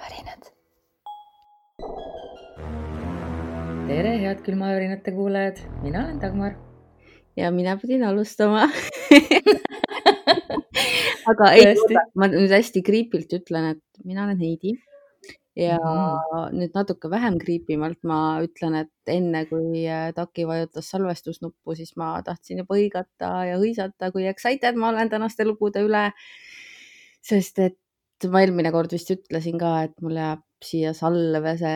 külmavärinad. Tere, head külmavärinate kuulajad. Mina olen Dagmar. Ja mina pidin alustama. Aga ei, ma nüüd hästi kriipilt ütlen, et mina olen Heidi. Ja nüüd natuke vähem kriipimalt ma ütlen, et enne kui Taki vajutas salvestusnuppu, siis ma tahtsin juba hõigata ja hõisata, kui excited ma olen tänaste lugude üle. Sest et ma eelmine kord vist ütlesin ka, et mul jääb siia salvese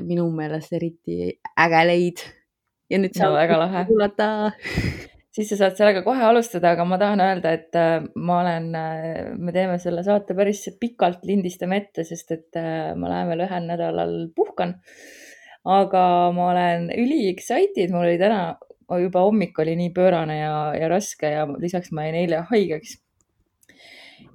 minu meelest eriti äge leid. Ja nüüd saab kuulata. Siis sa saad sellega kohe alustada, aga ma tahan öelda, et me teeme selle saate päris pikalt, lindistame ette, sest et ma lähen veel ühel nädalal puhkan. Aga ma olen üli excited, mul oli täna juba hommik oli nii pöörane ja raske ja lisaks ma jäin eile haigeks.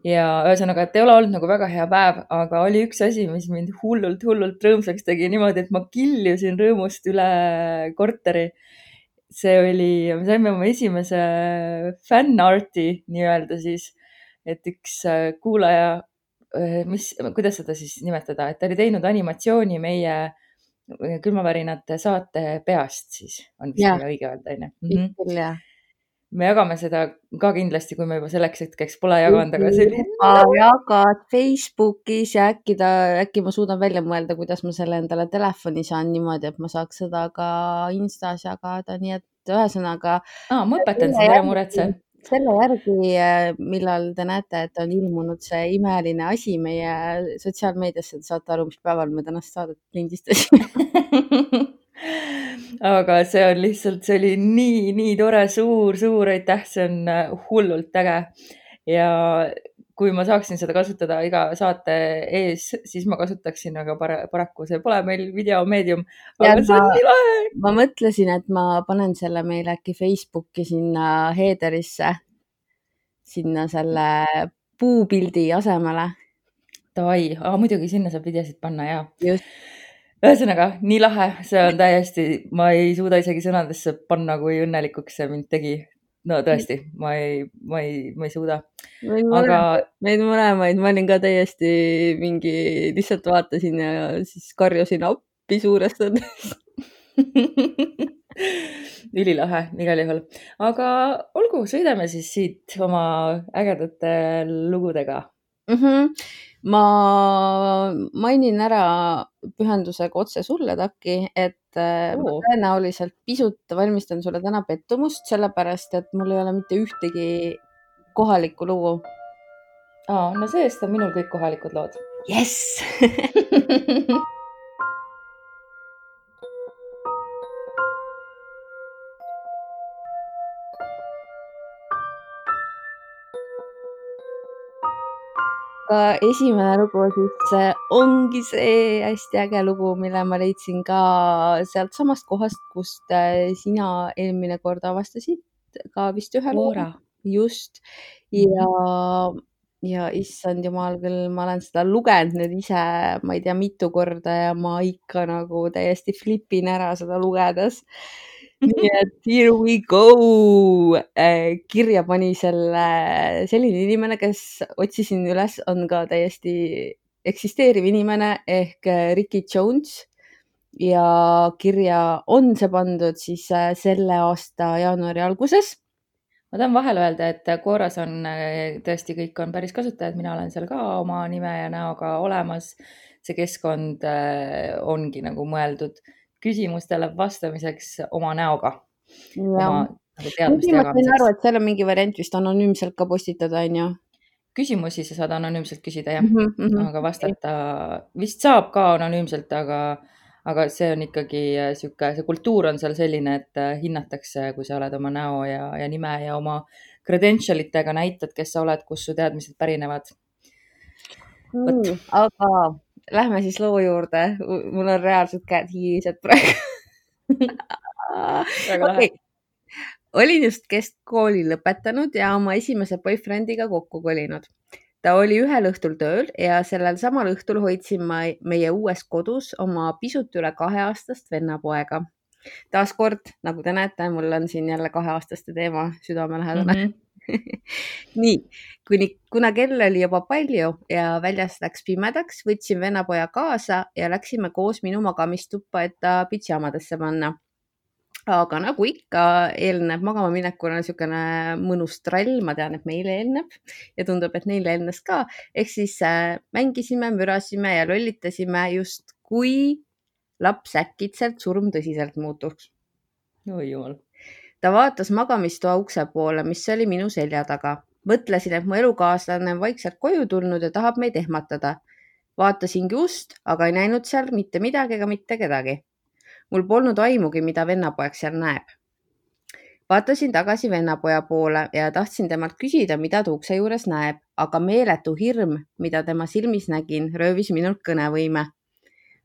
Ja ühesõnaga, et ei ole olnud nagu väga hea päev, aga oli üks asi, mis mind hullult rõõmsaks tegi niimoodi, et ma kiljusin rõõmust üle korteri. See oli, me saime oma esimese fanarti nii-öelda siis, et üks kuulaja, kuidas seda siis nimetada, et ta oli teinud animatsiooni meie külmavärinate saate peast siis, on vist õige öelda, Me jagame seda ka kindlasti, kui me juba selleks hetkeks pole jaganud, aga see oli... Jagad Facebookis ja äkki ma suudan välja mõelda, kuidas ma selle endale telefoni saan niimoodi, et ma saaks seda ka Instas jagada, nii et ühesõnaga... ma õpetan sind, ära muretse. Selle järgi, millal te näete, et on ilmunud see imeline asi meie sotsiaalmeediasse, te saate aru, mis päeval me tänast saadet lindistasime. Aga see on lihtsalt, see oli nii tore, suur aitäh, see on hullult äge. Ja kui ma saaksin seda kasutada iga saate ees, siis ma kasutaksin, aga paraku see pole meil videomeedium. Aga see on nii lahe. Ma mõtlesin, et ma panen selle meil äkki Facebooki sinna headerisse, sinna selle puupildi asemele. Davai, muidugi sinna saab videosid panna, jaa. Just. Ühesõnaga, nii lahe, see on täiesti, ma ei suuda isegi sõnadesse panna, kui õnnelikuks see mind tegi. No tõesti, ma ei suuda. Meid mõlemaid, ma olin ka täiesti lihtsalt vaatasin ja siis karjusin appi suurestades. Ülilahe, igal juhul. Aga olgu, sõidame siis siit oma ägedate lugudega. Ma mainin ära pühendusega otse sulle, Taki, et ma tõenäoliselt pisut valmistan sulle täna pettumust, sellepärast, et mul ei ole mitte ühtegi kohalikku lugu. No seest on minul kõik kohalikud lood. Yes! Aga esimene lugu siis ongi see hästi äge lugu, mille ma leidsin ka sealt samast kohast, kust sina eelmine kord avastasid ka vist ühe lugu. Just. Ja issand jumal küll, ma olen seda lugenud nüüd ise, ma ei tea mitu korda ja ma ikka nagu täiesti flipin ära seda lugedes. Nii et here we go. Kirja pani selline inimene, kes otsisin üles, on ka täiesti eksisteeriv inimene ehk Ricky Jones ja kirja on see pandud siis selle aasta jaanuari alguses. Ma tahan vahel öelda, et Quoras on tõesti kõik on päris kasutajad, mina olen seal ka oma nime ja näoga olemas. See keskkond ongi nagu mõeldud küsimustele vastamiseks oma näoga. Ma sain aru, et seal on mingi variant vist anonüümselt ka postitada, on ju? Küsimusi sa saad anonüümselt küsida, jah. Aga vastata vist saab ka anonüümselt, aga see on ikkagi see kultuur on seal selline, et hinnatakse, kui sa oled oma näo ja nime ja oma credentialitega näitad, kes sa oled, kus su teadmised pärinevad. Aga lähme siis loo juurde. Mul on reaalselt käed hiilised praegu. Okay. Olin just keskkooli lõpetanud ja oma esimese boyfriendiga kokku kolinud. Ta oli ühel õhtul tööl ja sellel samal õhtul hoidsin ma meie uues kodus oma pisut üle 2-aastast vennapoega. Taaskord, nagu te näete, mul on siin jälle 2-aastaste teema südamelähedane. nii, kuna kell oli juba palju ja väljas läks pimedaks, võtsin vennapoja kaasa ja läksime koos minu magamistuppa, et ta pidžaamadesse panna. Aga nagu ikka eelneb magama minekule niisugune mõnus trall, ma tean, et meile eelneb ja tundub, et neile eelnes ka. Ehk siis mängisime, mürasime ja lollitasime just kui laps äkitselt surmtõsiselt muutuks. oi jumal. Ta vaatas magamistoa ukse poole, mis oli minu selja taga. Mõtlesin, et mu elukaaslane on vaikselt koju tulnud ja tahab meid ehmatada. Vaatasingi ust, aga ei näinud seal mitte midagi ega mitte kedagi. Mul polnud aimugi, mida vennapoeg seal näeb. Vaatasin tagasi vennapoja poole ja tahtsin temalt küsida, mida ta ukse juures näeb, aga meeletu hirm, mida tema silmis nägin, röövis minult kõnevõime.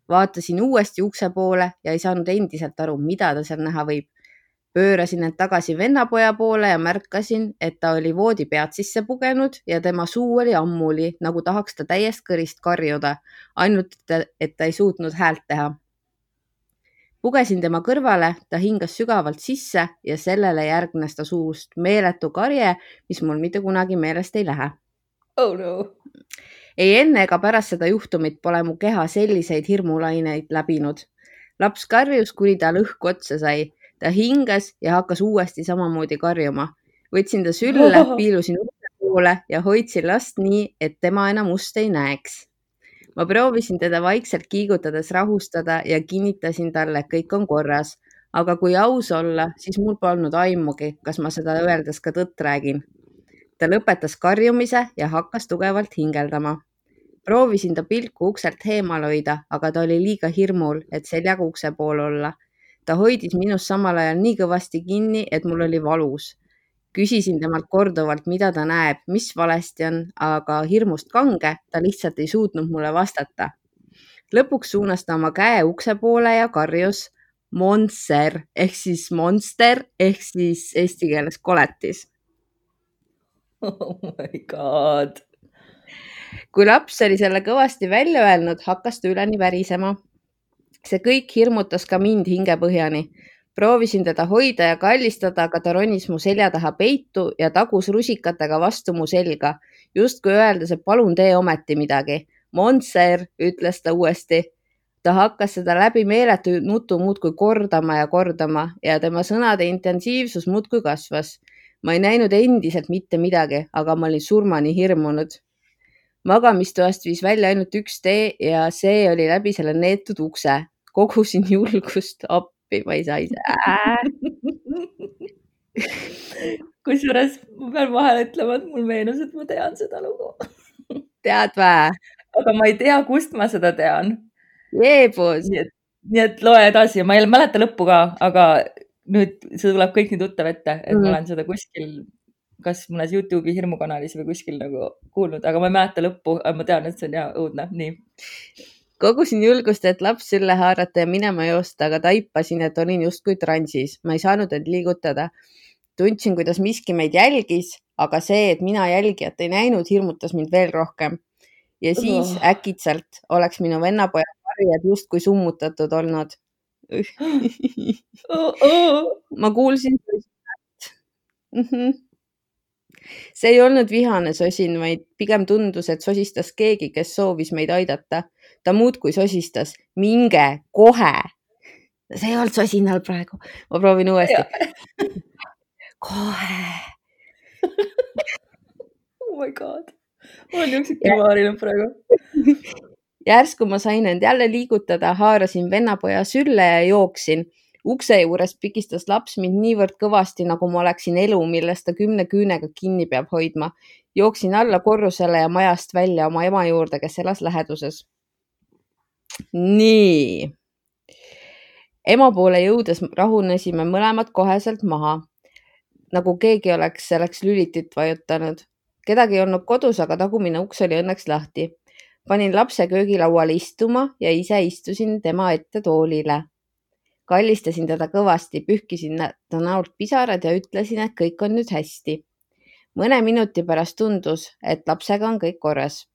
Vaatasin uuesti ukse poole ja ei saanud endiselt aru, mida ta seal näha võib. Pöörasin end tagasi vennapoja poole ja märkasin, et ta oli voodipead sisse pugenud ja tema suu oli ammuli, nagu tahaks ta täiest kõrist karjuda, ainult et ta ei suutnud häält teha. Pugesin tema kõrvale, ta hingas sügavalt sisse ja sellele järgnes ta suust meeletu karje, mis mul mitte kunagi meelest ei lähe. Oh no. Ei enne ega pärast seda juhtumit pole mu keha selliseid hirmulaineid läbinud. Laps karjus, kuni ta õhku otsa sai. Ta hingas ja hakkas uuesti samamoodi karjuma. Võtsin ta sülle, piilusin ukse poole ja hoidsin last nii, et tema enam ust ei näeks. Ma proovisin teda vaikselt kiigutades rahustada ja kinnitasin talle, et kõik on korras. Aga kui aus olla, siis mul polnud aimugi, kas ma seda öeldes ka tõtt räägin. Ta lõpetas karjumise ja hakkas tugevalt hingeldama. Proovisin ta pilku ukselt heemal hoida, aga ta oli liiga hirmul, et seljaga ukse pool olla. Ta hoidis minust samal ajal nii kõvasti kinni, et mul oli valus. Küsisin temalt korduvalt, mida ta näeb, mis valesti on, aga hirmust kange, ta lihtsalt ei suutnud mulle vastata. Lõpuks suunas ta oma käe ukse poole ja karjus monster ehk siis monster ehk siis eesti keeles koletis. Oh my god. Kui laps oli selle kõvasti välja öelnud, hakkas ta üleni värisema. See kõik hirmutas ka mind hingepõhjani. Proovisin teda hoida ja kallistada, aga ta ronis mu selja taha peitu ja tagus rusikatega vastu mu selga. Justkui öeldes, et palun tee ometi midagi. Monster, ütles ta uuesti. Ta hakkas seda läbi meeletu nutu muudkui kordama ja tema sõnade intensiivsus muudkui kasvas. Ma ei näinud endiselt mitte midagi, aga ma olin surmani hirmunud. Magamistoast viis välja ainult üks tee ja see oli läbi selle neetud ukse. Kogusin julgust appi, ma ei saa ise. Kusjuures ma pean vahel ütlema, et mul meenus, et ma tean seda lugu. Tead vä? Aga ma ei tea, kust ma seda tean. Jeebus. Nii et loe edasi. Ma ei mäleta lõppu ka, aga nüüd see tuleb kõik nii tuttav ette, et ma olen seda kuskil, kas mõnes YouTube'i hirmukanalis või kuskil nagu kuulnud, aga ma ei mäleta lõppu, aga ma tean, et see on hea õudne. Nii. Kogusin julgust, et laps sülle haarata ja minema joosta, aga taipasin, et olin justkui transis. Ma ei saanud end liigutada. Tundsin, kuidas miski meid jälgis, aga see, et mina jälgijat ei näinud, hirmutas mind veel rohkem. Ja siis äkitselt oleks minu vennapoja karjad justkui summutatud olnud. Ma kuulsin sosinat. See ei olnud vihane sosin, vaid pigem tundus, et sosistas keegi, kes soovis meid aidata. Ta muudkui sosistas. Minge kohe. See ei olnud sosinal praegu. Ma proovin uuesti. Kohe. Oh my god. Ma olen jõuksik külmaarinud praegu. Järsku ma sain end jälle liigutada, haarasin vennapoja sülle ja jooksin. Ukse juures pikistas laps mind niivõrd kõvasti, nagu ma oleksin elu, millest ta 10 küünega kinni peab hoidma. Jooksin alla korrusele ja majast välja oma ema juurde, kes elas läheduses. Nii. Ema poole jõudes rahunesime mõlemad koheselt maha. Nagu keegi oleks selleks lülitit vajutanud. Kedagi ei olnud kodus, aga tagumine uks oli õnneks lahti. Panin lapse köögilauale istuma ja ise istusin tema ette toolile. Kallistasin teda kõvasti, pühkisin ta näolt pisarad ja ütlesin, et kõik on nüüd hästi. Mõne minuti pärast tundus, et lapsega on kõik korras.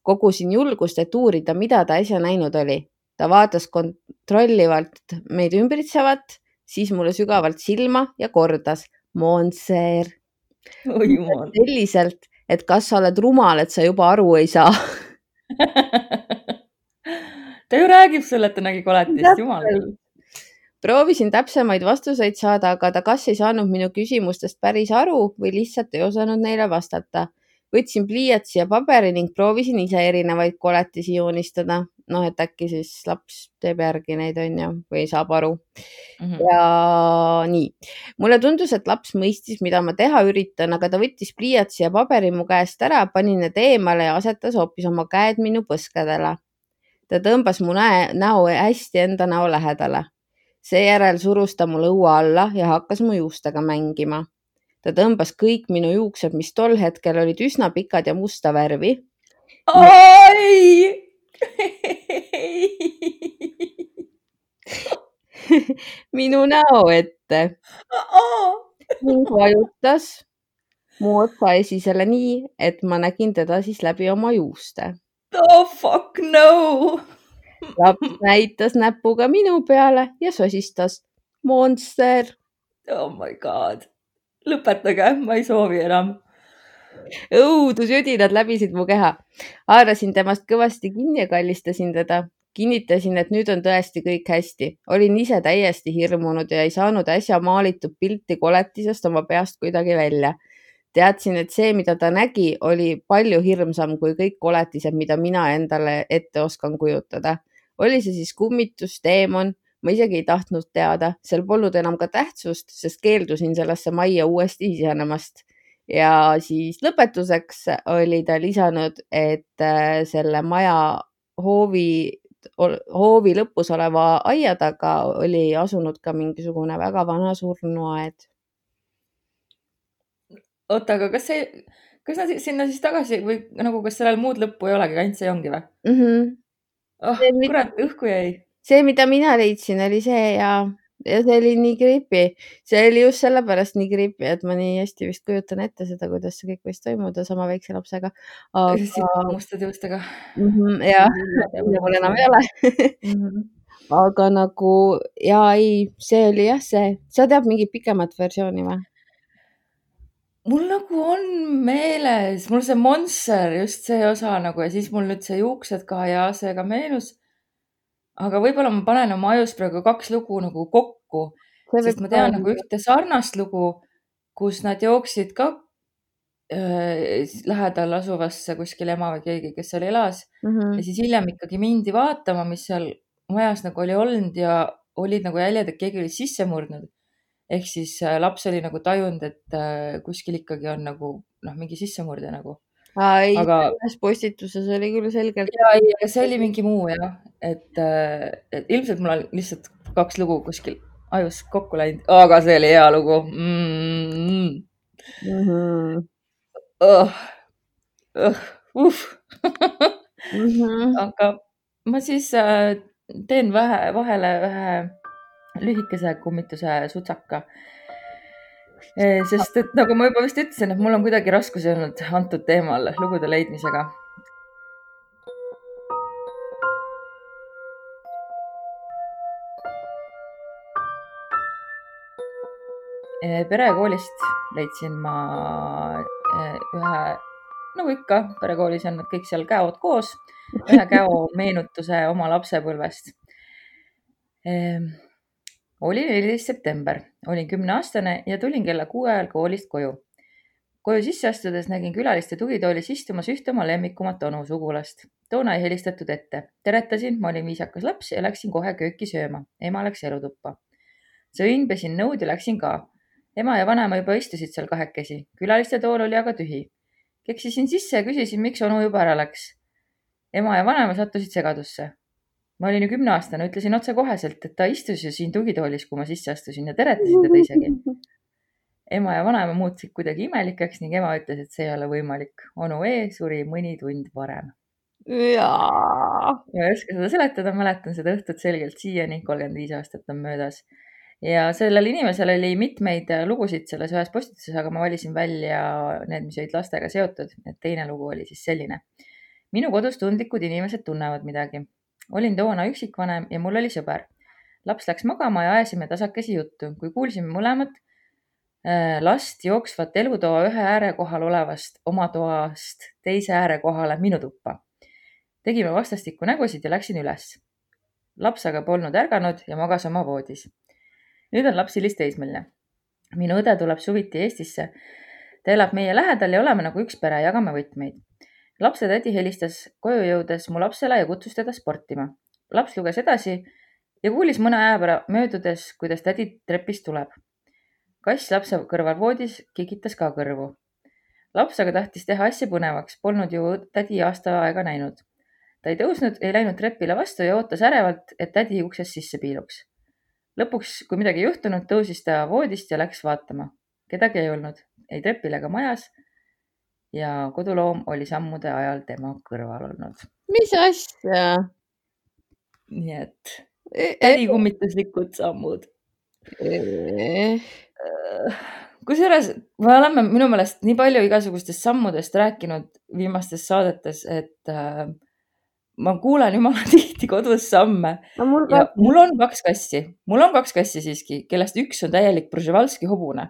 Kogusin julgust, et uurida, mida ta äsja näinud oli. Ta vaatas kontrollivalt meid ümbritsevat, siis mulle sügavalt silma ja kordas. Monster. oi jumal. selliselt, et kas sa oled rumal, et sa juba aru ei saa. ta ju räägib sulle, et ta nägi koletist, jumal küll. Proovisin täpsemaid vastuseid saada, aga ta kas ei saanud minu küsimustest päris aru või lihtsalt ei osanud neile vastata. Võtsin pliiatsi ja paberi ning proovisin ise erinevaid koletisi joonistada. Noh, et äkki siis laps teeb järgi neid, on ju, või saab aru. Ja nii. Mulle tundus, et laps mõistis, mida ma teha üritan, aga ta võttis pliiatsi ja paberi mu käest ära, pani need eemale ja asetas hoopis oma käed minu põskedele. Ta tõmbas mu näo hästi enda näo lähedale. Seejärel surus ta mu lõua alla ja hakkas mu juustega mängima. Ta tõmbas kõik minu juuksed, mis tol hetkel olid üsna pikad ja musta värvi. Ai! minu näo ette ning vajutas mu otsa esisele nii, et ma nägin teda siis läbi oma juuste. Oh fuck no! Laps näitas näpuga minu peale ja sosistas. Monster! Oh my god. Lõpetage, ma ei soovi enam. Õudusjüdinad läbisid mu keha. Haarasin temast kõvasti kinni ja kallistasin teda. Kinnitasin, et nüüd on tõesti kõik hästi. Olin ise täiesti hirmunud ja ei saanud äsja maalitud pilti koletisest oma peast kuidagi välja. Teadsin, et see, mida ta nägi, oli palju hirmsam kui kõik koletised, mida mina endale ette oskan kujutada. Oli see siis kummitus, teemon? Ma isegi ei tahtnud teada. Seal polnud enam ka tähtsust, sest keeldusin sellesse majja uuesti sisenemast. Ja siis lõpetuseks oli ta lisanud, et selle maja hoovi lõpus oleva aia taga oli asunud ka mingisugune väga vana surnuaed. Oota, aga kas nad sinna siis tagasi või nagu, kas sellel muud lõppu ei olegi, ainult see ongi või? Oh, kurat, õhku jäi. See, mida mina leidsin, oli see ja see oli nii creepy. See oli just sellepärast nii creepy, et ma nii hästi vist kujutan ette seda, kuidas see kõik võis toimuda sama väikse lapsega. Mustade juustega. Ja, mul enam ei ole. Aga nagu, ja ei, see oli jah see. Sa tead mingit pikemat versiooni või? Mul nagu on meeles, mul see Monster, just see osa nagu ja siis mul nüüd see juuksed ka ja see ka meenus. Aga võib-olla ma panen oma ajus praegu 2 lugu nagu kokku, sest ma tean nagu ühte sarnast lugu, kus nad jooksid ka lähedal asuvasse kuskil ema või keegi, kes seal elas. Ja siis hiljem ikkagi mindi vaatama, mis seal majas nagu oli olnud ja olid nagu jäljed, et keegi oli sisse murdnud. Ehk siis laps oli nagu tajunud, et kuskil ikkagi on nagu mingi sissemurde nagu. Ei, selles postituses oli küll selgelt. Ja see oli mingi muu jah, et ilmselt mul on lihtsalt 2 lugu kuskil ajus kokku läinud, aga see oli hea lugu. Aga ma siis teen vahele ühe lühikese kummituse sutsaka. Sest et nagu ma juba vist ütlesin, et mul on kuidagi raskusi olnud antud teemal lugude leidmisega. Perekoolist leidsin ma ühe, nagu ikka, perekoolis on nad kõik seal käod koos, ühe käo meenutuse oma lapsepõlvest. Oli 14. september, olin 10-aastane ja tulin kella 6 ajal koolist koju. Koju sisse astudes nägin külaliste tugitoolis istumas ühte oma lemmikumat onu sugulast. Toona ei helistatud ette. Teretasin, ma olin viisakas laps ja läksin kohe kööki sööma. Ema läks elutuppa. Sõin, pesin nõud ja läksin ka. Ema ja vanaema juba istusid seal kahekesi. Külaliste tool oli aga tühi. Keksisin sisse ja küsisin, miks onu juba ära läks. Ema ja vanaema sattusid segadusse. Ma olin ju 10-aastane, ütlesin otse koheselt, et ta istus ju siin tugitoolis, kui ma sisse astusin ja teretasin teda isegi. Ema ja vanaema muutusid kuidagi imelikeks ning ema ütles, et see ei ole võimalik. Onu E suri mõni tund varem. Ma ei oska seda seletada, mäletan seda õhtut selgelt siiani, 35 aastat on möödas. Ja sellel inimesel oli mitmeid lugusid selles ühes postituses, aga ma valisin välja need, mis olid lastega seotud. Et teine lugu oli siis selline. Minu kodus tundlikud inimesed tunnevad midagi. Olin toona üksikvanem ja mul oli sõber. Laps läks magama ja ajasime tasakesi juttu. Kui kuulsime mõlemat, last jooksvat elutoa ühe ääre kohal olevast oma toast teise ääre kohale minu tuppa. Tegime vastastikku nägusid ja läksin üles. Laps aga polnud ärganud ja magas oma voodis. Nüüd on laps hilisteismeline. Minu õde tuleb suviti Eestisse. Ta elab meie lähedal ja oleme nagu üks pere, jagame võtmeid. Lapse tädi helistas koju jõudes mu lapsele ja kutsus teda sportima. Laps luges edasi ja kuulis mõne aja möödudes, kuidas tädi trepist tuleb. Kass lapse kõrval voodis kikitas ka kõrvu. Laps aga tahtis teha asja põnevaks, polnud ju tädi aasta aega näinud. Ta ei tõusnud, ei läinud trepile vastu ja ootas ärevalt, et tädi uksest sisse piiluks. Lõpuks, kui midagi juhtunud, tõusis ta voodist ja läks vaatama. Kedagi ei olnud, ei trepil ega majas ja koduloom oli sammude ajal tema kõrval olnud. Mis asja? Nii et tädi kummituslikud sammud. Kusjuures me oleme minu meelest nii palju igasugustest sammudest rääkinud viimastes saadetes, et ma kuulen jumala tihti kodus samme No mul ja ka- mul on kaks kassi. Mul on kaks kassi siiski, kellest üks on täielik Przhevalski hobune.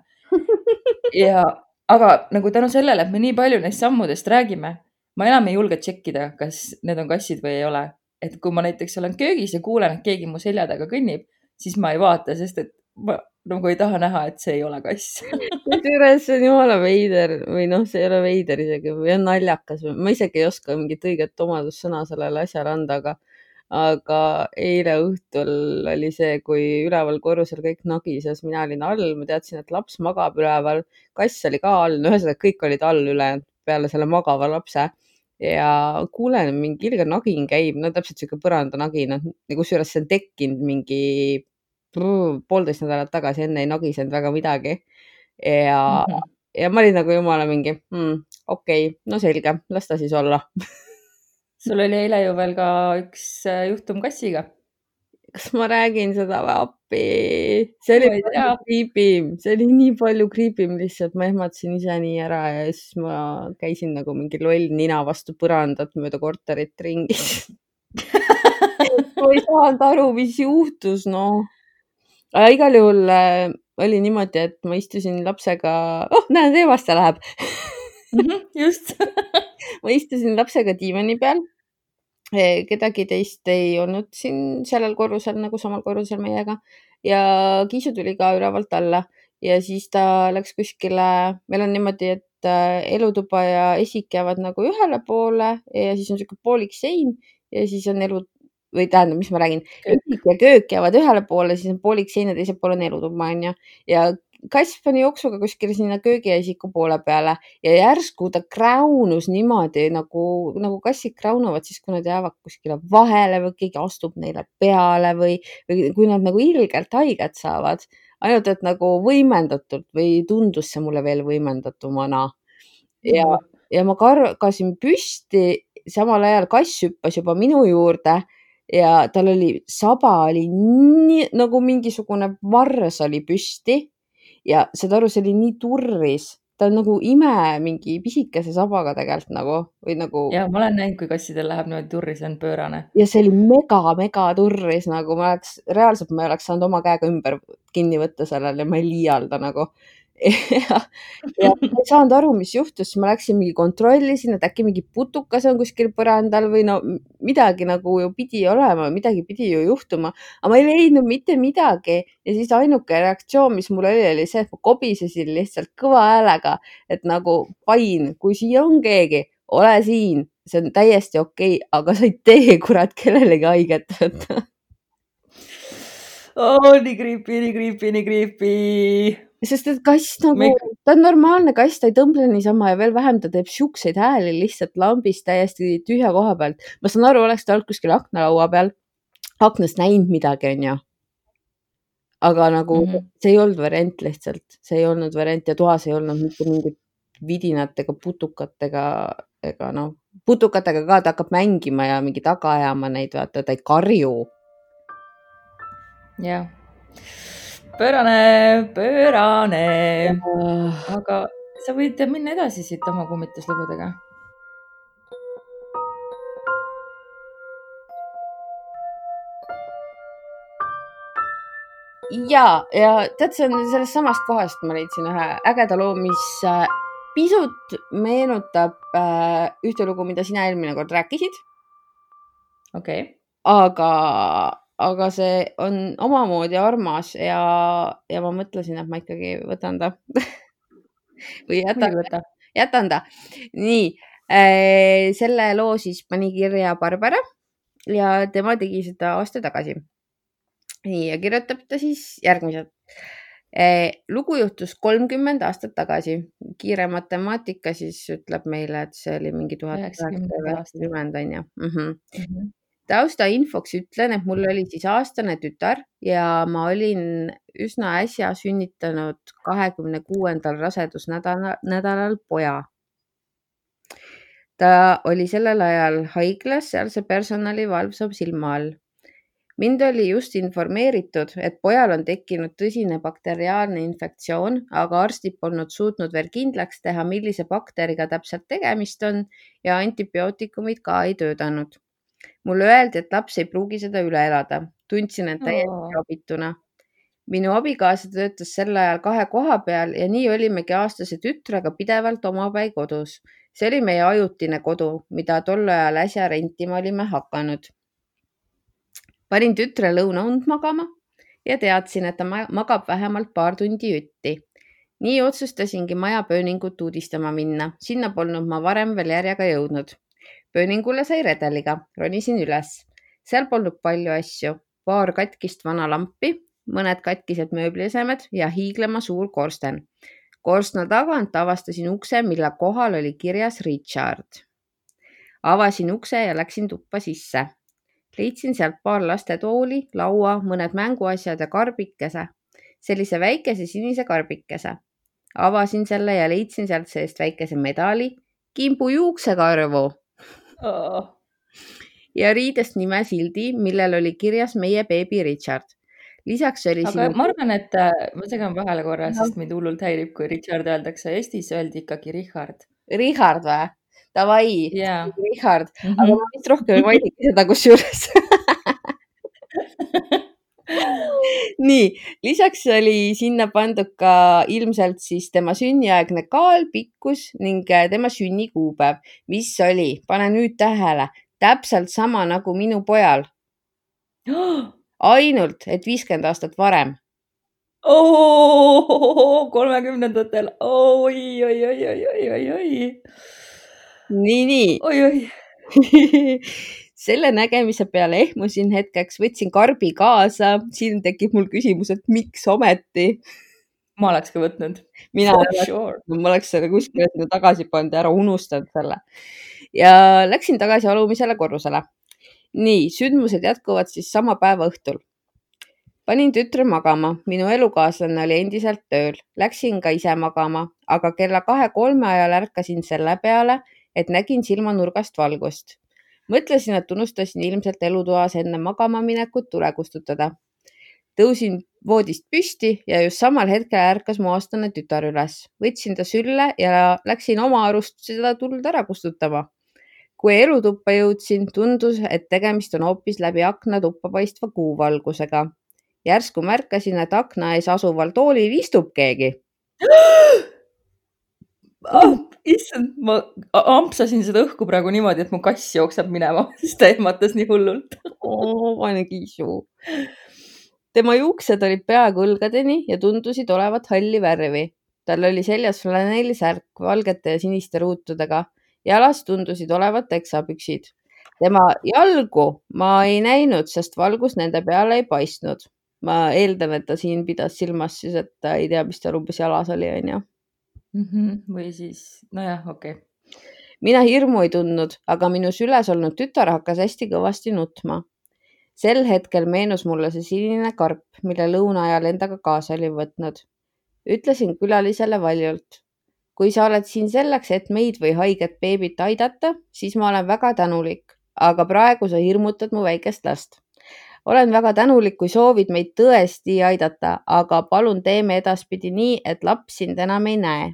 Aga nagu tänu sellele, et me nii palju neist sammudest räägime, ma enam ei julge tšekkida, kas need on kassid või ei ole. Et kui ma näiteks olen köögis ja kuulen, et keegi mu selja taga kõnnib, siis ma ei vaata, sest et ma nagu ei taha näha, et see ei ole kass. Kusjuures see on jumala veider või noh, see ei ole veider isegi või on naljakas. Ma isegi ei oska mingit õiget omadussõna sellele asjale anda, aga eile õhtul oli see, kui üleval korrusel kõik nagises, mina olin all, ma teadsin, et laps magab üleval, kass oli ka all, no ühesõnaga kõik olid all ülejäänud peale selle magava lapse ja kuulen, mingi ilge nagin käib, no täpselt siuke põrandanagin, kusjuures see on tekkinud mingi 1,5 nädalat tagasi, enne ei nagisenud väga midagi ja ma olin nagu jumala mingi, okei, no selge, las ta siis olla. Sul oli eile ju veel ka üks juhtum kassiga. Kas ma räägin seda või appi? See oli palju kriipim, see oli nii palju kriipim lihtsalt, ma ehmatasin ise nii ära ja siis ma käisin nagu mingi loll nina vastu põrandat mööda korterit ringis. Ma ei saanud aru, mis juhtus, noh. Aga igal juhul oli niimoodi, et ma istusin lapsega, näed, Eevaste läheb. Just. Ma istusin lapsega diivani peal. Kedagi teist ei olnud siin sellel korrusel, nagu samal korrusel meiega. Ja Kiisu tuli ka ülevalt alla ja siis ta läks kuskile, meil on niimoodi, et elutuba ja esik jäävad nagu ühele poole ja siis on siuke poolik sein ja siis on või tähendab, mis ma räägin, esik ja köök jäävad ühele poole, siis on poolik sein ja teisel pool on elutuba, onju. Ja kass pani jooksuga kuskile sinna köögi ja esiku poole peale ja järsku ta kräunus niimoodi, nagu kassid kräunuvad siis, kui nad jäävad kuskile vahele või keegi astub neile peale või kui nad nagu ilgelt haiget saavad. Ainult, et nagu võimendatult või tundus see mulle veel võimendatumana. Ja ma kargasin püsti, samal ajal kass hüppas juba minu juurde ja tal oli, saba oli nii, nagu mingisugune vars oli püsti ja saad aru, see oli nii turris. Ta on nagu mingi pisikese sabaga tegelikult nagu, või nagu. Ja ma olen näinud, kui kassidel läheb niimoodi turris, on pöörane. Ja see oli mega turris, nagu reaalselt ma ei oleks saanud oma käega ümber kinni võtta sellele ja ma ei liialda nagu. Ja ma ei saanud aru, mis juhtus, ma läksin mingi kontrollisin, et äkki mingi putukas on kuskil põrandal või no midagi nagu ju pidi olema, midagi pidi ju juhtuma, aga ma ei leidnud mitte midagi ja siis ainuke reaktsioon, mis mul oli see, et ma kobisesin lihtsalt kõva häälega, et nagu pain, kui siia on keegi, ole siin, see on täiesti okei, aga sa ei tee kurat kellelegi haiget võtta. Nii creepy. Sest et kass nagu, ta on normaalne kass, ta ei tõmble niisama ja veel vähem ta teeb siukseid hääli lihtsalt lambist täiesti tühja koha pealt. Ma saan aru, oleks ta olnud kuskil aknalaua peal, aknast näinud midagi, onju. Aga nagu see ei olnud variant lihtsalt, see ei olnud variant ja toas ei olnud mitte mingit vidinatega, putukatega, ega noh, putukatega ka ta hakkab mängima ja mingi taga ajama neid, vaata, ta ei karju. Jah. Pöörane. Aga sa võid minna edasi siit oma kummituslugudega. ja tead, see on sellest samast kohast, ma leidsin ühe ägeda loo, mis pisut meenutab ühte lugu, mida sina eelmine kord rääkisid. okei. Aga see on omamoodi armas ja ma mõtlesin, et ma ikkagi võtan ta või jätan ta. Nii, selle loo siis pani kirja Barbara ja tema tegi seda aasta tagasi. Nii, ja kirjutab ta siis järgmiselt. Lugu juhtus 30 aastat tagasi. Kiire matemaatika siis ütleb meile, et see oli mingi 1990 on ju. Tausta infoks ütlen, et mul oli siis aastane tütar ja ma olin üsna äsja sünnitanud 26. rasedusnädalal poja. Ta oli sellel ajal haiglas, sealse personali valvsam silma all. Mind oli just informeeritud, et pojal on tekkinud tõsine bakteriaalne infektsioon, aga arstid polnud suutnud veel kindlaks teha, millise bakteriga täpselt tegemist on ja antibiootikumid ka ei töötanud. Mulle öeldi, et laps ei pruugi seda üle elada. Tundsin end täiesti abituna. Minu abikaasa töötas sel ajal 2 koha peal ja nii olimegi aastase tütrega pidevalt omapäi kodus. See oli meie ajutine kodu, mida tol ajal äsja rentima olime hakanud. Panin tütre lõunaund magama ja teadsin, et ta magab vähemalt paar tundi jutti. Nii otsustasingi maja pööningut uudistama minna. Sinna polnud ma varem veel järjega jõudnud. Pööningule sai redeliga, ronisin üles. Seal polnud palju asju. Paar katkist vana lampi, mõned katkised mööbliesemed ja hiiglema suur korsten. Korstna tagant avastasin ukse, mille kohal oli kirjas Richard. Avasin ukse ja läksin tuppa sisse. Leidsin sealt paar lastetooli, laua, mõned mänguasjad ja karbikese. Sellise väikese sinise karbikese. Avasin selle ja leidsin sealt seest väikese medali, kimbu juuksekarvu ja riidest nimesildi, millel oli kirjas meie beebi Richard. Lisaks oli aga ma arvan, et ma segan vahele korra, sest mind hullult häirib, kui Richard öeldakse. Eestis öeldi ikkagi Richard. Richard või? Davai, Richard. Aga ma vist rohkem ei mainigi seda kusjuures. Nii, lisaks oli sinna pandud ka ilmselt siis tema sünniaegne kaal, pikkus ning tema sünnikuupäev, mis oli, pane nüüd tähele, täpselt sama nagu minu pojal. Ainult, et 50 aastat varem. 30-ndatel. Oi. Nii. Selle nägemise peale ehmusin hetkeks, võtsin karbi kaasa. Siin tekib mul küsimus, et miks ometi? Ma oleks ka võtnud. Ma oleks selle kuskile sinna tagasi pannud ja ära unustanud selle. Ja läksin tagasi alumisele korrusele. Nii, sündmused jätkuvad siis sama päeva õhtul. Panin tütre magama. Minu elukaaslane oli endiselt tööl. Läksin ka ise magama, aga kella 2-3 ajal ärkasin selle peale, et nägin silmanurgast valgust. Mõtlesin, et unustasin ilmselt elutoas enne magama minekut tule kustutada. Tõusin voodist püsti ja just samal hetkel ärkas mu aastane tütar üles. Võtsin ta sülle ja läksin oma arust seda tuld ära kustutama. Kui elutuppa jõudsin, tundus, et tegemist on hoopis läbi akna tuppa paistva kuuvalgusega. Järsku märkasin, et akna ees asuval toolil istub keegi. Issand, ma ampsasin seda õhku praegu niimoodi, et mu kass jookseb minema, sest ta ehmatas nii hullult. Vaene kiisu. Tema juuksed olid peaaegu õlgadeni ja tundusid olevat halli värvi. Tal oli seljas flanellisärk valgete ja siniste ruutudega. Jalas tundusid olevat teksapüksid. Tema jalgu ma ei näinud, sest valgus nende peale ei paistnud. Ma eeldan, et ta siin pidas silmas siis, et ta ei tea, mis tal umbes jalas oli, on ju. Või siis, nojah, okei. Mina hirmu ei tundnud, aga minu süles olnud tütar hakkas hästi kõvasti nutma. Sel hetkel meenus mulle see sinine karp, mille lõuna ajal endaga kaasa oli võtnud. Ütlesin külalisele valjult. Kui sa oled siin selleks, et meid või haiget beebit aidata, siis ma olen väga tänulik, aga praegu sa hirmutad mu väikest last. Olen väga tänulik, kui soovid meid tõesti aidata, aga palun teeme edaspidi nii, et laps sind enam ei näe.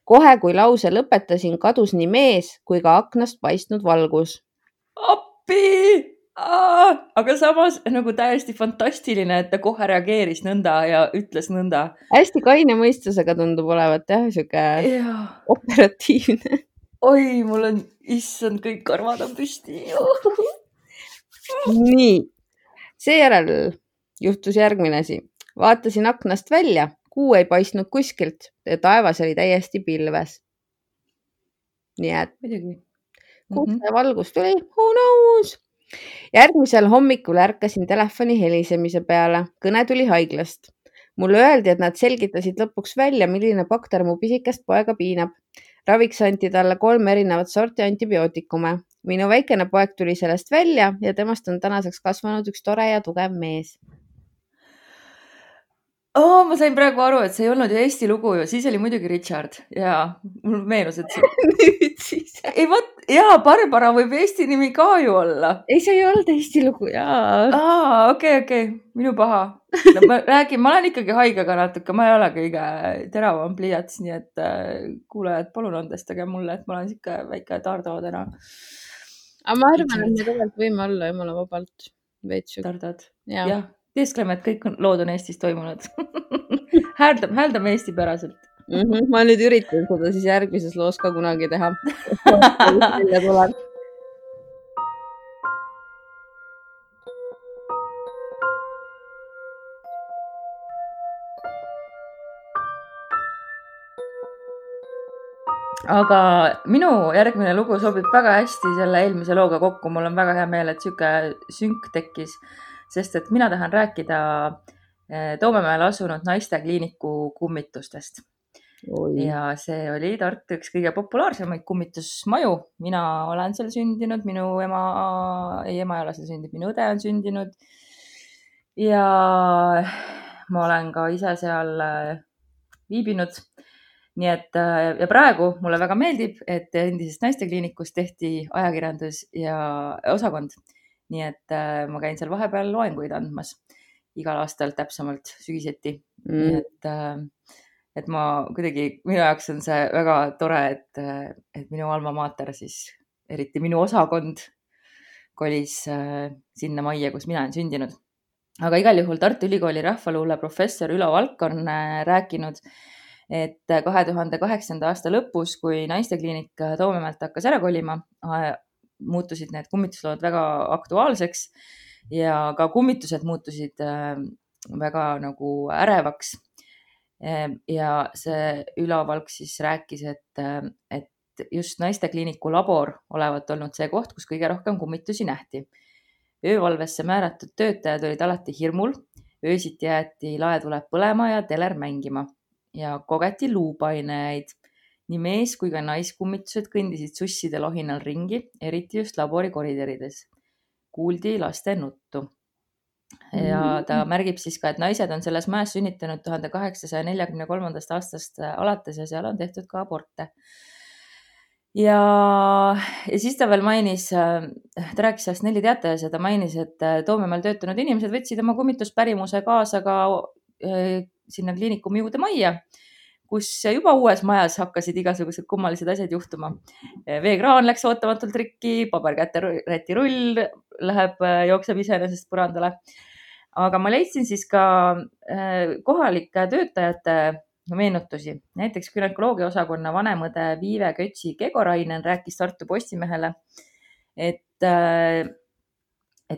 Kohe, kui lause lõpetasin, kadus nii mees kui ka aknast paistnud valgus. Appi! aga samas nagu täiesti fantastiline, et ta kohe reageeris nõnda ja ütles nõnda. Hästi kaine mõistusega tundub olevat jah, sihuke operatiivne. Oi, mul on, issand, kõik karvad on püsti. Nii, seejärel juhtus järgmine asi. Vaatasin aknast välja, kuu ei paistnud kuskilt ja taevas oli täiesti pilves. Nii et kust see valgus tuli? Who knows? Järgmisel hommikul ärkasin telefoni helisemise peale. Kõne tuli haiglast. Mulle öeldi, et nad selgitasid lõpuks välja, milline bakter mu pisikest poega piinab. Raviks anti talle 3 erinevat sorti antibiootikume. Minu väikene poeg tuli sellest välja ja temast on tänaseks kasvanud üks tore ja tugev mees. Ma sain praegu aru, et see ei olnud ju Eesti lugu ju, siis oli muidugi Richard ja mul meenus, et nüüd siis. Ei, Barbara võib Eesti nimi ka ju olla. Ei, see ei olnud Eesti lugu, jaa. Okei, minu paha. No, ma olen ikkagi haigega natuke, ma ei ole kõige teravam pliiats, nii et kuulajad, palun andestage mulle, et ma olen siuke väike Tardo täna. Aga ma arvan, et me tegelikult võime olla jumala vabalt veits. Tardad, jah. Teeskleme, et kõik lood on Eestis toimunud. Hääldame eestipäraselt. Ma nüüd üritan seda siis järgmises loos ka kunagi teha. Aga minu järgmine lugu sobib väga hästi selle eelmise looga kokku. Mul on väga hea meel, et siuke sünk tekkis. Sest et mina tahan rääkida Toomemäel asunud naistekliiniku kummitustest. Ja see oli Tartu üks kõige populaarsemaid kummitusmaju. Mina olen seal sündinud, minu ema ei ole seal sündinud, minu õde on sündinud. Ja ma olen ka ise seal viibinud. Nii et ja praegu mulle väga meeldib, et endisest naistekliinikust tehti ajakirjandus ja osakond. Nii et ma käin seal vahepeal loenguid andmas igal aastal täpsemalt sügiseti. Nii et ma kuidagi, minu jaoks on see väga tore, et minu alma mater siis, eriti minu osakond kolis sinna majja, kus mina olen sündinud. Aga igal juhul Tartu Ülikooli rahvaluule professor Ülo Valk on rääkinud, et 2008. aasta lõpus, kui naistekliinik Toomemäelt hakkas ära kolima, muutusid need kummituslood väga aktuaalseks ja ka kummitused muutusid väga nagu ärevaks. Ja see Ülo Valk siis rääkis, et just naistekliiniku labor olevat olnud see koht, kus kõige rohkem kummitusi nähti. Öövalvesse määratud töötajad olid alati hirmul, öösiti jäeti laetuled põlema ja teler mängima ja kogeti luupainejaid. Nii mees kui ka naiskummitused kõndisid susside lohinal ringi, eriti just labori koridorides. Kuuldi laste nuttu. Ja ta märgib siis ka, et naised on selles mäes sünnitanud 1843. aastast alates ja seal on tehtud ka aborte. Ja siis ta veel mainis, ta rääkis sellest 4 teatajas ja ta mainis, et Toomemäel töötanud inimesed võtsid oma kummituspärimuse kaasa ka sinna kliinikumi juurde majja, kus juba uues majas hakkasid igasugused kummalised asjad juhtuma. Veekraan läks ootamatult rikki, paberkätte rull jookseb iseenesest põrandale. Aga ma leidsin siis ka kohalike töötajate meenutusi. Näiteks günekoloogia osakonna vanemõde Viive Kötsi-Kegorainen rääkis Tartu Postimehele, et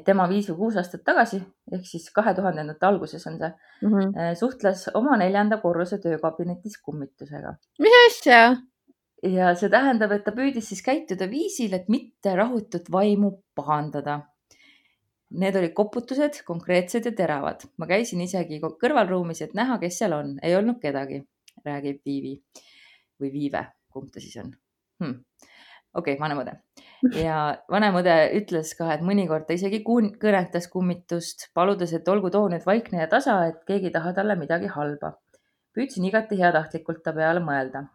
tema 5 või 6 aastat tagasi, ehk siis 2000. alguses on see, suhtles oma 4. korruse töökabinetis kummitusega. Mis asja? Ja see tähendab, et ta püüdis siis käituda viisil, et mitte rahutut vaimu pahandada. Need olid koputused, konkreetsed ja teravad. Ma käisin isegi kõrvalruumis, et näha, kes seal on. Ei olnud kedagi, räägib Viivi või Viive, kumb ta siis on. Okei, vanemõde. Ja vanemõde ütles ka, et mõnikord ta isegi kõnetas kummitust, paludes, et olgu too nüüd vaikne ja tasa, et keegi ei taha talle midagi halba. Püüdsin igati heatahtlikult ta peale mõelda.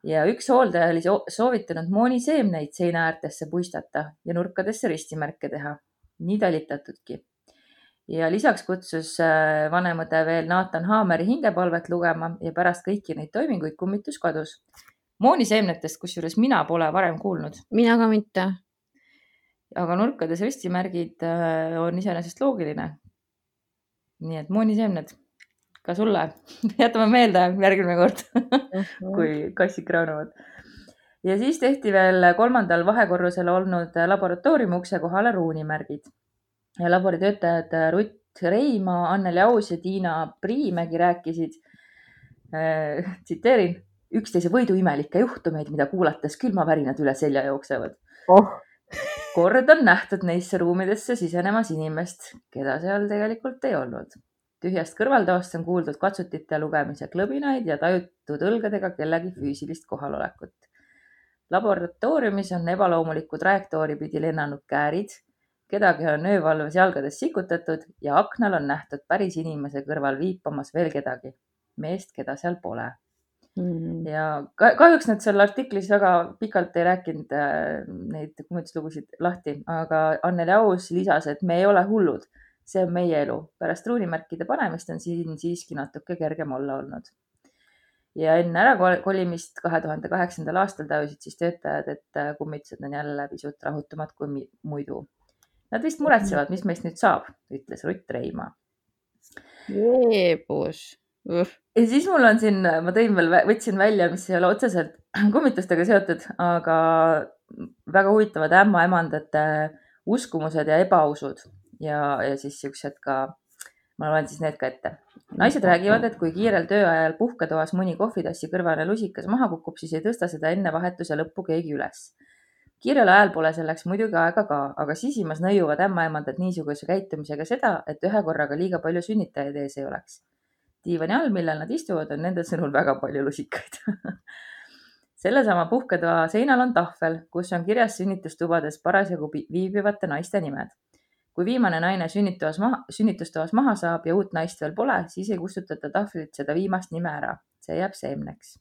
Ja üks hooldaja oli soovitanud mooniseemneid seina äärtesse puistata ja nurkadesse ristimärke teha. Nii talitatudki. Ja lisaks kutsus vanemõde veel Nathan Haameri hingepalvet lugema ja pärast kõiki neid toiminguid kummitus kadus. Mooniseemnetest, kusjuures mina pole varem kuulnud. Mina ka mitte. aga nurkades ristimärgid on iseenesest loogiline. nii et mooniseemned ka sulle. jätame meelde järgmine kord kui kassid kraanuvad. ja siis tehti veel 3. vahekorrusel olnud laboratooriumi ukse kohale ruunimärgid. ja laboritöötajad Rutt Reimaa, Anneli Aus ja Tiina Priimägi rääkisid, tsiteerin, üksteise võidu imelikke juhtumeid, mida kuulates külmavärinad üle selja jooksevad. kord on nähtud neisse ruumidesse sisenemas inimest, keda seal tegelikult ei olnud. tühjast kõrvaltoast on kuuldud katsutite lugemise klõbinaid ja tajutud õlgadega kellegi füüsilist kohalolekut. Laboratooriumis on ebaloomuliku trajektoori pidi lennanud käärid, kedagi on öövalves jalgades sikutatud ja aknal on nähtud päris inimese kõrval viipamas veel kedagi, meest, keda seal pole. ja kahjuks nad seal artiklis väga pikalt ei rääkinud neid kummituslugusid lahti, aga Anneli Aus lisas, et me ei ole hullud, see on meie elu. Pärast ruunimärkide panemist on siin siiski natuke kergem olla olnud. ja enne ärakolimist 2008. aastal tajusid siis töötajad, et kummitused on jälle pisut rahutumad kui muidu. Nad vist muretsevad, mis meist nüüd saab, ütles Rutt Reimaa. Jeebus. Ja siis mul on siin, ma võtsin välja, mis ei ole otseselt kummitustega seotud, aga väga huvitavad ämmaemandate uskumused ja ebausud ja siis siuksed ka, ma loen siis need ka ette. Naised räägivad, et kui kiirel tööajal puhketoas mõni kohvitassi kõrvane lusikas maha kukub, siis ei tõsta seda enne vahetuse lõppu keegi üles. Kiirel ajal pole selleks muidugi aega ka, aga sisimas nõiuvad ämmaemandad niisuguse käitumisega seda, et ühe korraga liiga palju sünnitajaid ees ei oleks. Diivani all, millel nad istuvad, on nende sõnul väga palju lusikaid. Sellesama puhketoa seinal on tahvel, kus on kirjas sünnitustubades parasjagu viibivate naiste nimed. Kui viimane naine sünnitustoas maha saab ja uut naist veel pole, siis ei kustutata tahvlilt seda viimast nime ära. See jääb seemneks.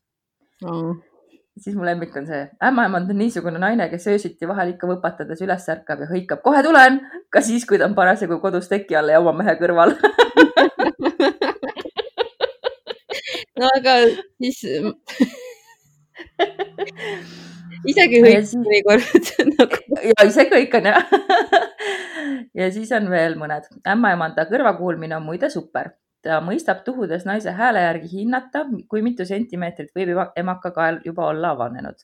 Siis mu lemmik on see, ämmaemand on niisugune naine, kes öösiti vahel ikka võpatades üles ärkab ja hõikab, kohe tulen, ka siis, kui ta on parasjagu kodus teki all ja oma mehe kõrval. no aga siis isegi hõikab mõnikord. ja isegi kõik on jah. ja siis on veel mõned. Ämmaemanda kõrvakuulmine on muide super. Ta mõistab tuhudes naise hääle järgi hinnata, kui mitu sentimeetrit võib emaka kael juba olla avanenud.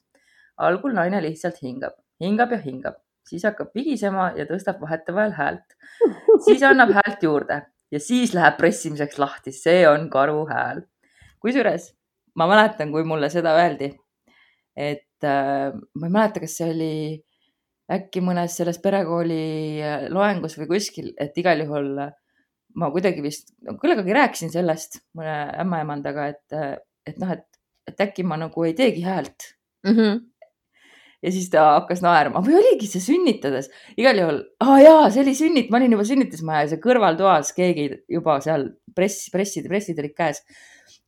Algul naine lihtsalt hingab ja hingab. Siis hakkab vigisema ja tõstab vahetevahel häält. Siis annab häält juurde ja siis läheb pressimiseks lahti. See on karu hääl. Kusjuures ma mäletan, kui mulle seda öeldi, et ma ei mäleta, kas see oli äkki mõnes selles perekooli loengus või kuskil, et igal juhul ma kuidagi vist kuidagi rääkisin sellest mõne ämmaemandaga, et äkki ma nagu ei teegi häält. Ja siis ta hakkas naerma või oligi see sünnitades. Igal juhul, see oli ma olin juba sünnitusmaja ja see kõrvaltoas keegi juba seal pressid olid käes.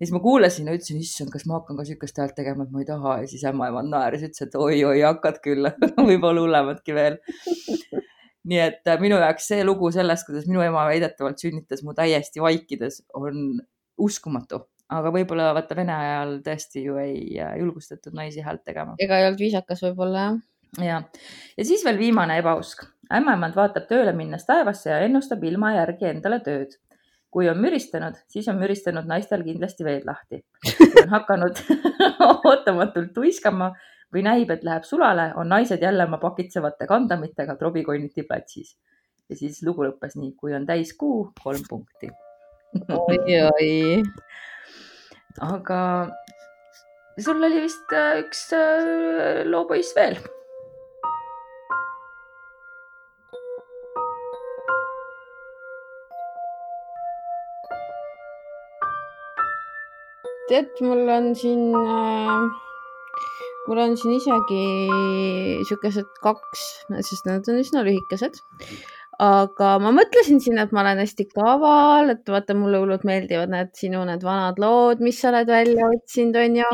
Ja siis ma kuulasin ja ütlesin, issand, kas ma hakkan ka sükast häält tegema, et ma ei taha. Ja siis ämmaemand naeris, ütles, et oi, hakkad küll, võib-olla hullematki veel. Nii et minu jaoks see lugu sellest, kuidas minu ema väidetavalt sünnitas mu täiesti vaikides, on uskumatu. Aga võib-olla vaata Vene ajal tõesti ju ei julgustatud naisi häält tegema. Ega ei olnud viisakas võib-olla, jah. Ja siis veel viimane ebausk. Ämmaemand vaatab tööle minnes taevasse ja ennustab ilma järgi endale tööd. Kui on müristanud, siis on müristanud naistel kindlasti veed lahti. Kui on hakanud ootamatult tuiskama või näib, et läheb sulale, on naised jälle oma pakitsevate kandamitega trobikonniti platsis. Ja siis lugu lõppes nii, kui on täis kuu, 3 punkti. Oi. Aga sul oli vist üks loopoiss veel. Tead, mul on siin isegi siukesed 2, sest nad on üsna lühikesed. Aga ma mõtlesin siin, et ma olen hästi kaval, et vaata, mulle hullult meeldivad sinu need vanad lood, mis sa oled välja otsinud, on ju.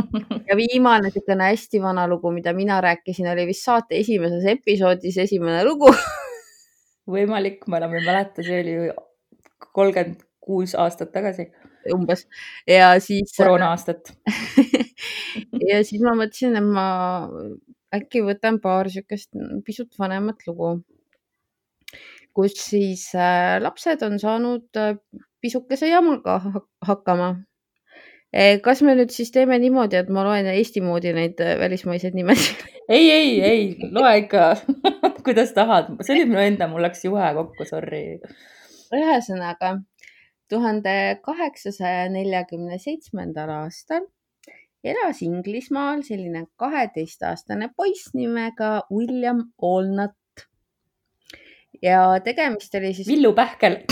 Ja viimane siukene hästi vana lugu, mida mina rääkisin, oli vist saate esimeses episoodis esimene lugu. Võimalik, ma enam ei mäleta, see oli 36 aastat tagasi. Umbes. Ja siis koroona aastat. ja siis ma mõtlesin, et ma äkki võtan paar siukest pisut vanemat lugu. kus siis lapsed on saanud pisukese jamaga hakkama. Kas me nüüd siis teeme niimoodi, et ma loen Eesti moodi neid välismaiseid nimesid? ei, loe ikka kuidas tahad. See oli minu enda, mul läks juhe kokku, sorry. Ühesõnaga, 1847. aastal elas Inglismaal selline 12-aastane poiss nimega William Allnut. Ja tegemist oli siis... Villu Pähkel.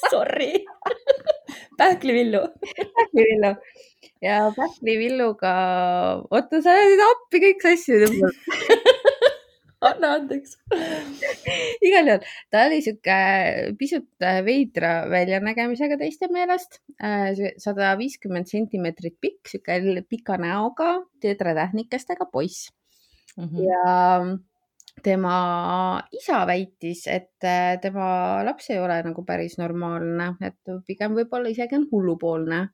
Sorry. Pähklivillu. Pähklivillu. Ja Pähklivilluga... Oota, sa oled appi kõik sassid. Anna andeks. Igal juhul, ta oli siuke pisut veidra väljanägemisega teiste meelest. 150 sentimeetrit pikk, siuke pika näoga, teetratähnikestega poiss. Ja tema isa väitis, et tema laps ei ole nagu päris normaalne, et pigem võib-olla isegi on hullupoolne.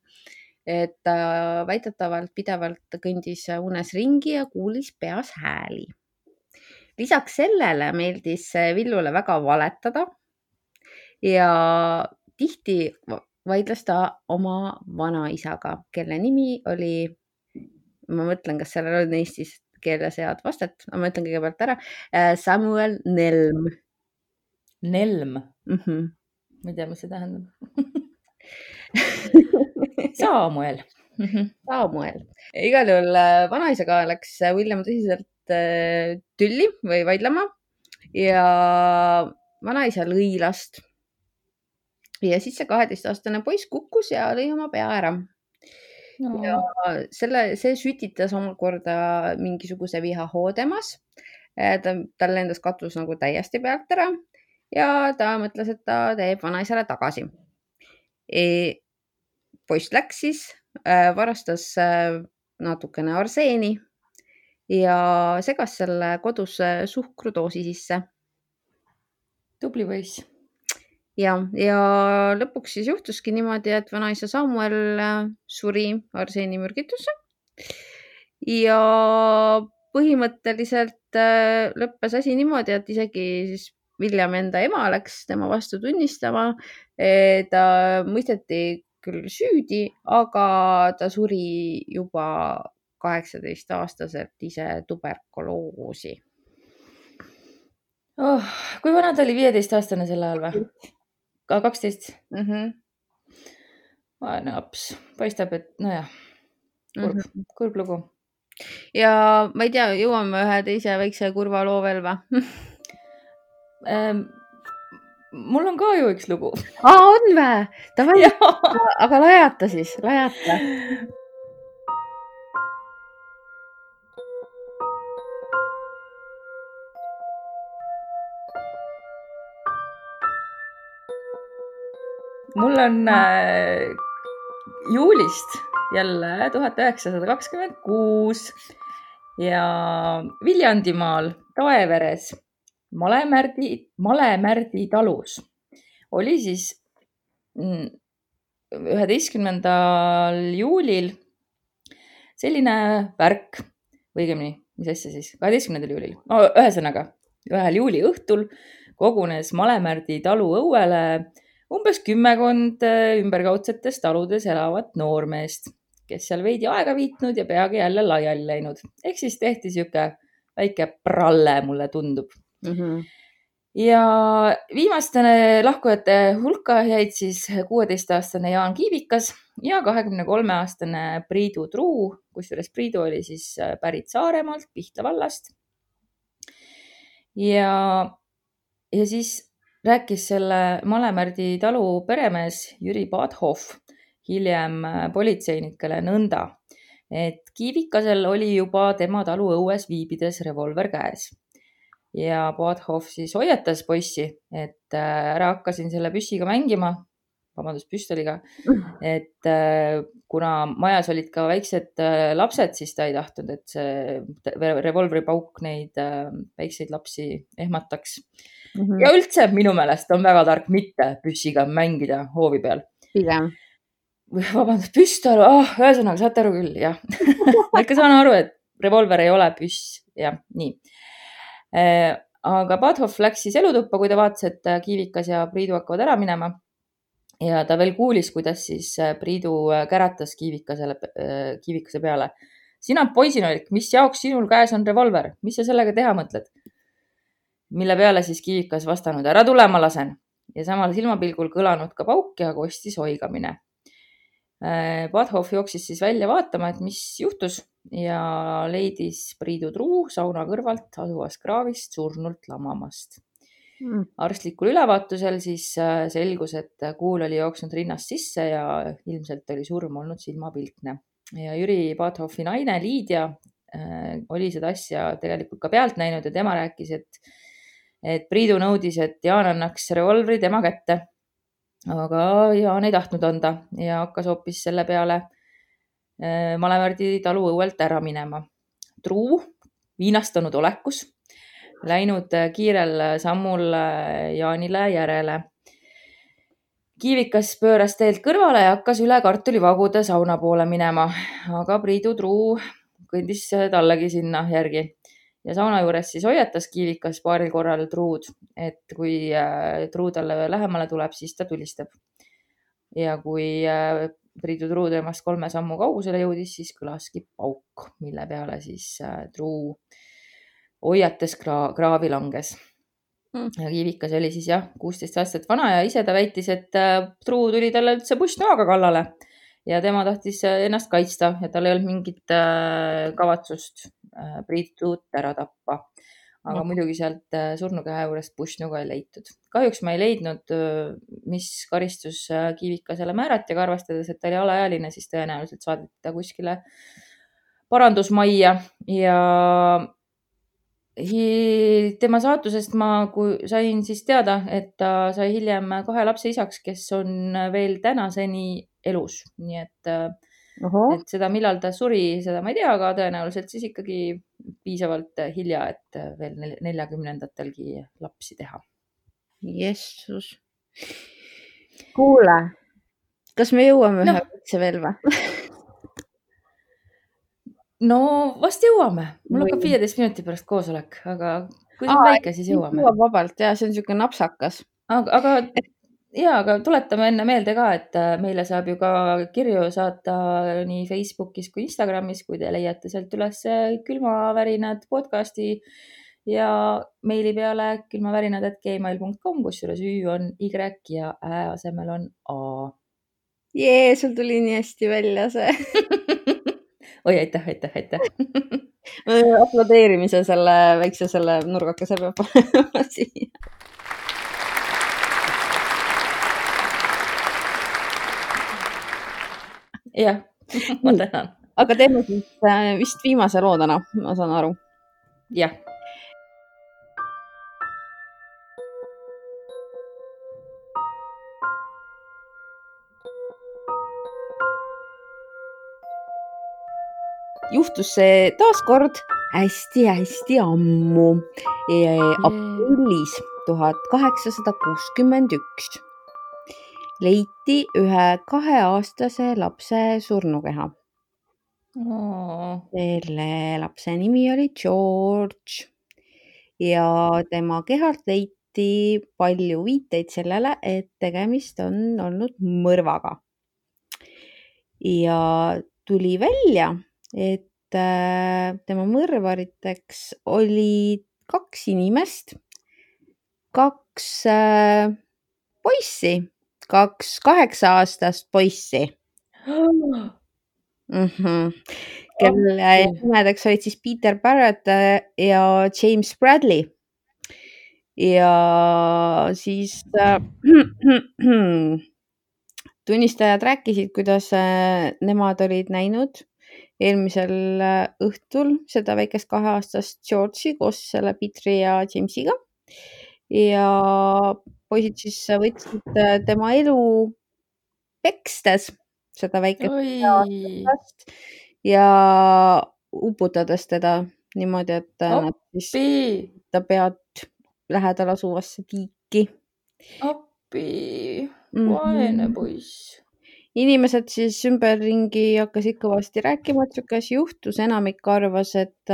Et ta väitetavalt pidevalt kõndis unes ringi ja kuulis peas hääli. Lisaks sellele meeldis Villule väga valetada ja tihti vaidles ta oma vanaisaga, kelle nimi oli, ma mõtlen, kas sellel on Eestis keeles head vastet, ma mõtlen kõigepealt ära, Samuel Nelm. Nelm? Ma ei tea, mis see tähendab. Samuel. Samuel. Igal juhul vanaisaga läks William tõsiselt tülli või vaidlema ja vanaisa lõi last. Ja siis see 12-aastane poiss kukkus ja lõi oma pea ära. No. Ja see sütitas omakorda mingisuguse vihahoo temas. Tal lendas katus nagu täiesti pealt ära ja ta mõtles, et ta teeb vanaisale tagasi. Poiss läks siis, varastas natukene arseeni ja segas selle kodus suhkrudoosi sisse. Tubli poiss. Ja lõpuks siis juhtuski niimoodi, et vanaisa Samuel suri arseenimürgitusse ja põhimõtteliselt lõppes asi niimoodi, et isegi siis William enda ema läks tema vastu tunnistama. Ta mõisteti küll süüdi, aga ta suri juba 18-aastaselt ise tuberkuloosi. Kui vana ta oli 15-aastane selle ajal või? 12? Vaene laps. Paistab, et nojah, kurb lugu. Ja ma ei tea, jõuame ühe teise väikse kurva loo veel või? Mul on ka ju üks lugu. On vä? Aga lajata siis, lajata. Mul on juulist jälle 1926 ja Viljandimaal Taeveres Malemärdi talus oli siis 11. juulil selline värk, või õigemini, mis asja siis, 12. juulil. Ühesõnaga, 1. juuli õhtul kogunes Malemärdi talu õuele umbes 10 ümberkaudsetes taludes elavat noormeest, kes seal veidi aega viitnud ja peagi jälle laiali läinud. Ehk siis tehti siuke väike pralle, mulle tundub. Ja viimastene lahkujate hulka jäid siis 16-aastane Jaan Kiivikas ja 23-aastane Priidu Truu, kusjuures Priidu oli siis pärit Saaremaalt, Pihta vallast. Ja siis rääkis selle Malemärdi talu peremees Jüri Badhoff hiljem politseinikele nõnda, et Kiivikasel oli juba tema talu õues viibides revolver käes. Ja Badhoff siis hoiatas poissi, et ära hakka siin selle püssiga mängima, püstoliga, et kuna majas olid ka väiksed lapsed, siis ta ei tahtnud, et see revolvri pauk neid väikseid lapsi ehmataks. Ja üldse minu meelest on väga tark mitte püssiga mängida hoovi peal. Pigem. Vabandust, püstol, ühesõnaga saate aru küll, jah. Ma ikka saan aru, et revolver ei ole püss, jah, nii. aga Padhoff läks siis elutuppa, kui ta vaatas, et Kiivikas ja Priidu hakkavad ära minema. Ja ta veel kuulis, kuidas siis Priidu käratas Kiivikase peale. Sina poisinolik, mis jaoks sinul käes on revolver? Mis sa sellega teha mõtled? Mille peale siis Kiivikas vastanud, ära tule, ma lasen. Ja samal silmapilgul kõlanud ka pauk ja kostis oigamine. Padhoff jooksis siis välja vaatama, et mis juhtus ja leidis Priidu Truu sauna kõrvalt asuvast kraavist surnult lamamast. Arstlikul ülevaatusel siis selgus, et kuul oli jooksnud rinnast sisse ja ilmselt oli surm olnud silmapilkne. Ja Jüri Padhoffi naine Liidia oli seda asja tegelikult ka pealt näinud ja tema rääkis, et Priidu nõudis, et Jaan annaks revolvri tema kätte. Aga Jaan ei tahtnud anda ja hakkas hoopis selle peale Malevärdi talu õuelt ära minema. Truu, viinastunud olekus, läinud kiirel sammul Jaanile järele. Kiivikas pööras teelt kõrvale ja hakkas üle kartulivagude sauna poole minema, aga Priidu Truu kõndis tallegi sinna järgi. Ja sauna juures siis hoiatas Kiivikas paaril korral Truud, et kui Truu talle lähemale tuleb, siis ta tulistab. Ja kui Priidu Truu temast 3 sammu kaugusele jõudis, siis kõlaski pauk, mille peale siis Truu hoiates kraavi langes. Ja Kiivikas oli siis 16 aastat vana ja ise ta väitis, et Truu tuli talle üldse pussnoaga kallale ja tema tahtis ennast kaitsta ja tal ei olnud mingit kavatsust Priidut ära tappa. Aga muidugi sealt surnukeha juurest pussnuga ei leitud. Kahjuks ma ei leidnud, mis karistus Kiivikasele määrati, aga arvestades, et ta oli alaealine, siis tõenäoliselt saadeti ta kuskile parandusmajja ja tema saatusest ma sain siis teada, et ta sai hiljem 2 lapse isaks, kes on veel tänaseni elus. Nii et seda, millal ta suri, seda ma ei tea, aga tõenäoliselt siis ikkagi piisavalt hilja, et veel 40-ndatelgi lapsi teha. Jessus. Kuule, kas me jõuame ühe võtse veel või? No vast jõuame. Mul hakkab 15 minuti pärast koosolek, aga kui see on väike, siis jõuame. Vabalt, see on niisugune napsakas. Aga tuletame enne meelde ka, et meile saab ju ka kirju saata nii Facebookis kui Instagramis, kui te leiate sealt üles külmavärinad podcasti ja meili peale külmavärinad@gmail.com, kusjuures Ü on Y ja Ä asemel on A. Jee, sul tuli nii hästi välja see. Oi, aitäh. Aplodeerimise selle väikse nurgakese peab panema siia. Jah, ma tänan. Aga teeme siis vist viimase loo täna, ma saan aru. Jah. Juhtus see taaskord hästi ammu, aprillis 1861 leiti ühe 2-aastase lapse surnukeha. Selle lapse nimi oli George ja tema kehalt leiti palju viiteid sellele, et tegemist on olnud mõrvaga. Ja tuli välja, et tema mõrvariteks oli 2 inimest, 2 poissi, 2 8-aastast poissi, kelle nimedeks olid siis Peter Barrett ja James Bradley. Ja siis tunnistajad rääkisid, kuidas nemad olid näinud eelmisel õhtul seda väikest 2-aastast George'i koos selle Petri ja Jamesiga. Ja poisid siis võtsid tema elu pekstes seda väikest ja uputades teda niimoodi, et nad siis ta pead lähedal asuvasse tiiki. Appi, vaene poiss. Inimesed siis ümberringi hakkasid kõvasti rääkima, et niisugune asi juhtus. Enamik arvas, et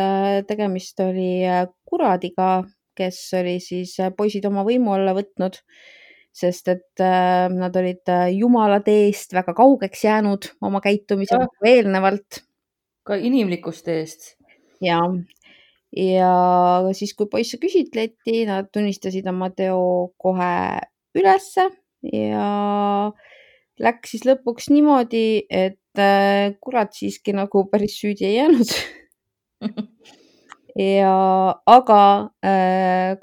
tegemist oli kuradiga, kes oli siis poisid oma võimu alla võtnud, sest et nad olid jumala teest väga kaugeks jäänud oma käitumisega eelnevalt. Ka inimlikust teest. Ja siis, kui poisse küsitleti, nad tunnistasid oma teo kohe ülesse ja läks siis lõpuks niimoodi, et kurat siiski nagu päris süüdi ei jäänud. Aga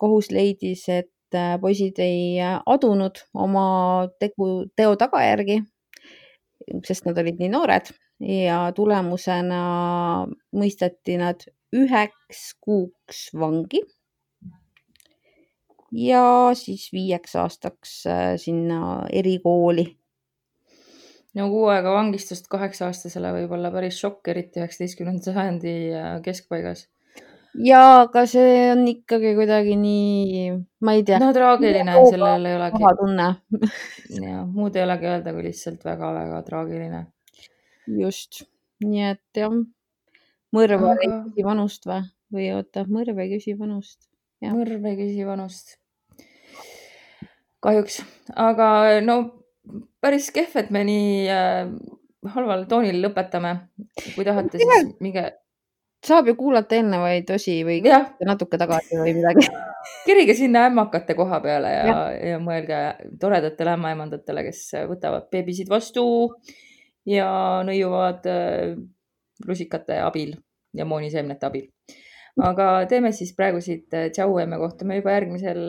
kohus leidis, et poisid ei adunud oma teo tagajärgi, sest nad olid nii noored ja tulemusena mõisteti nad 9 kuuks vangi ja siis 5 aastaks sinna erikooli. No 6 aega vangistust 8-aastasele võib olla päris šokk, eriti 19. sajandi keskpaigas. Ja aga see on ikkagi kuidagi nii, ma ei tea. No traagiline, sellel ei olegi. Tunne. Ja, muud ei olegi öelda, kui lihtsalt väga-väga traagiline. Just, nii et jah, mõrv ei küsi vanust või oota, mõrv ei küsi vanust. Ja. Mõrv ei küsi vanust. Kahjuks, aga no päris kehv, et me nii halval toonil lõpetame. Kui tahate, siis minge... Saab ju kuulata eelnevaid osi või natuke tagasi või midagi. Kirige sinna ämmakate koha peale ja mõelge toredatele ämmaemandatele, kes võtavad beebisid vastu ja nõiuvad rusikate abil ja mooniseemnete abil. Aga teeme siis praegu siit tšau ja me kohtume juba järgmisel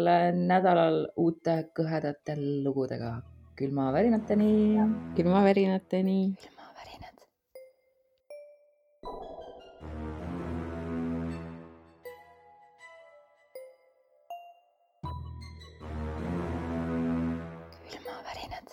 nädalal uute kõhedate lugudega. Külmavärinateni. Külmavärinateni. Külmavärinad. Külmavärinad.